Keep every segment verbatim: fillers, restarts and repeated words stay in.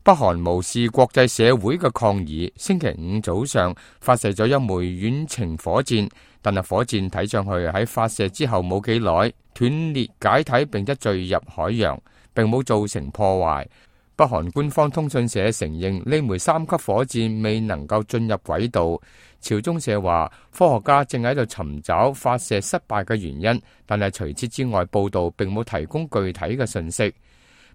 北韓無視國際社會嘅抗議，星期五早上發射咗一枚遠程火箭，但係火箭睇上去喺發射之後冇幾耐斷裂解體，並且墜入海洋，並冇造成破壞。北韓官方通訊社承認呢枚三級火箭未能夠進入軌道。朝中社話，科學家正喺度尋找發射失敗嘅原因，但係除此之外，報道並冇提供具體嘅信息。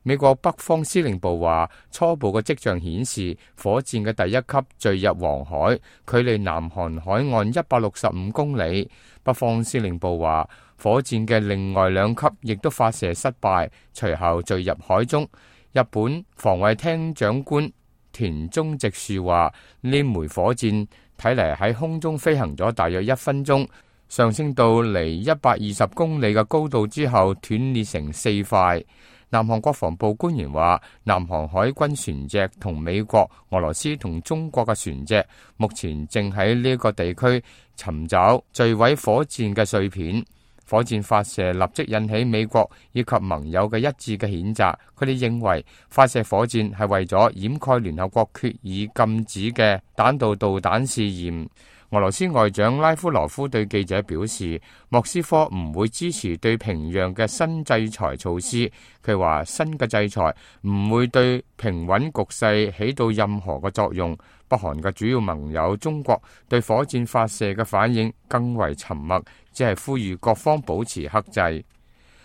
美國北方司令部話，初步嘅跡象顯示，火箭嘅第一級墜入黃海，距離南韓海岸一百六十五公里。北方司令部話，火箭嘅另外兩級亦都發射失敗，隨後墜入海中。日本防衛廳長官田中直樹話，呢枚火箭睇嚟喺空中飛行咗大約一分鐘，上升到離一百二十公里嘅高度之後斷裂成四塊。南韓國防部官員話，南韓海軍船隻同美國、俄羅斯同中國嘅船隻目前正喺呢個地區尋找墜毀火箭嘅碎片。火箭發射立即引起美國以及盟友嘅一致嘅譴責，佢哋認為發射火箭係為咗掩蓋聯合國決議禁止嘅彈道導彈試驗。俄羅斯外長拉夫羅夫對記者表示，莫斯科唔會支持對平壤嘅新制裁措施。佢話新嘅制裁唔會對平穩局勢起到任何嘅作用。北韓嘅主要盟友中國對火箭發射嘅反應更為沉默，只係呼籲各方保持克制。